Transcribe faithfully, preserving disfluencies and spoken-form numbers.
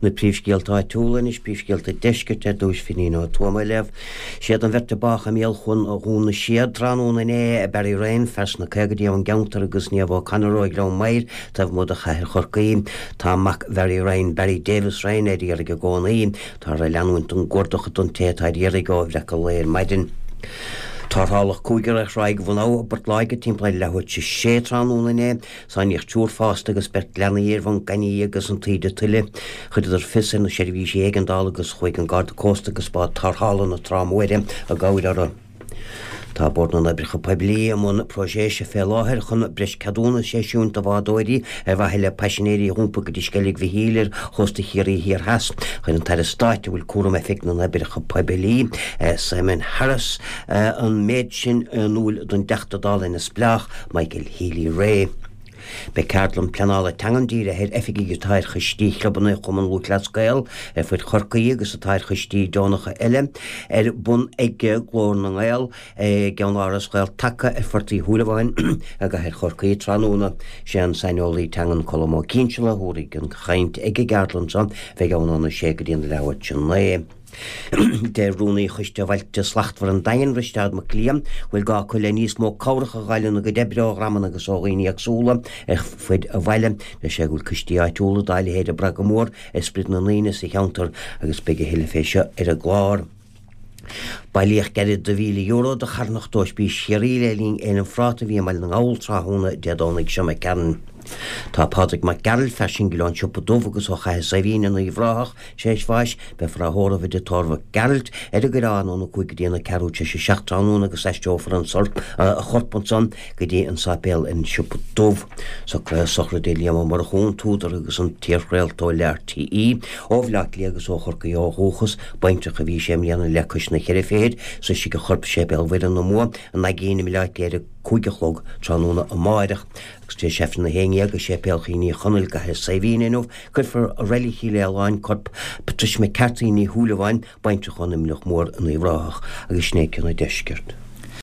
Na príomhscéalta áitiúla anois, príomhscéalta deiscirt ar dtús Finín Ó Tuama ag léamh. Siad an bheirt a bádh i mbéal chuan Dhún na Séad tráthnóna inné, Barry Ryan, fear sna caogaidí ón gceantar agus Niamh O'Connor ó Ghleann Maghair, taobh amuigh de chathair Chorcaí. Tá mac Bharry Ryan, Barry Davis Ryan, ar iarraidh i gcónaí. Táthar ag leanúint den gcuardach don té atá ar iarraidh ó bhreacadh lae ar maidin. Tarrtháladh cúigear ar Thráigh Bhun Abha i bPort Láirge timpeall ar leathuair tar éis a sé tráthnóna inné. Sáinníodh triúr fásta agus beirt leanaí ar bhun gainimh agus an taoide tuile. Chuireadar fios ar na seirbhísí éigeandála agus chuaigh an Garda Cósta agus bád tarrthála na Trá Móire i gcabhair orthu. Tá Bord na nOibreacha Poiblí i mbun próiseas fé láthair chun breis ceadúnas a eisiúint do bhádóirí ar mhaithe le paisinéirí a iompar go dtí Sceilg Mhichíl ar chósta Chiarraí Thiar Theas. Chuir an tAire Stáit a bhfuil cúram Oifig na nOibreacha Poiblí, Simon Harris, an méid sin in iúl don dTeachta Dála neamhspleách, Michael Healy-Rae. Beidh ceardlann pleanála teangan dírithe ar oifigigh atá ar choistí chlubanna Chumann Lúthchleas Gael ar fud Chorcaí agus atá ar choistí deonacha eile ar bun ag Glór na nGael i gceannáras Ghael-Taca ar Phort Uí Shúilleabháin i gcathair Chorcaí tráthnóna. Sé an saineolaí teangan Colm Ó Cinnseala a thabharfaidh an chaint ag an gceardlann seo, bheidh ann óna sé go dtí an leathuair tar éis a naoi. Deir Rúnaí Choiste Bhailte Slachtmhara an Daingin, Risteard Mac Liam, go bhfuil gá acu le níos mó cabhrach a fháil ina gcuid oibre ó dhreamanna agus ó dhaoine éagsúla ar fud an bhaile. Deir sé go bhfuil coistí áitiúla dá leithéid ag brath go mór ar sprid na ndaoine sa cheantar agus beidh a thuilleadh fé seo ar an gclár. Bailíodh gairid de mhíle euro do charthanacht Ospís Chiarraí le linn Fhéile an Phráta a bhí i mBaile na nGall tráthnóna Dé Domhnaigh seo imigh tharainn. Tá Pádraig Mac Gearailt, fear singil ón Siopa Dubh agus ó Chathair Saidhbhín in Uíbh Ráthach, tar éis bháis. Beifear á thórramh i dtigh tórraimh Mhic Gearailt ar an gCoireán óna cúig go dtí an ceathrú tar éis a seacht tráthnóna agus aistreofar an a chorp ansan go dtí an sáipéal ar an Siopa Dubh. Socruithe sochraide Liam Ó Murchú, an t-údar agus an t-iarchraoltóir le RTÉ, ó Bhaile Átha Cliath agus ó Chorcaigh ó dhúchas, baintreach a bhí sé i mbliana le cois na ceithre fichid, sroisfidh a chorp Séipéal Mhuire na Mumha i Naigín i mBaile Átha Cliath ar a cúig a chlog tráthnóna amáireach. Agus tar éis Aifreann a haon déag i Séipéal Chaoin Uí Chonaill i gCathair Saidhbhín inniu, cuirfear i Reilig Chill Fhaoláin corp Patricia McCarthy Ní Shúilleabháin, baintreach ón Imleach Mór in Uíbh Ráthach, agus sin é cionn an deiscirt.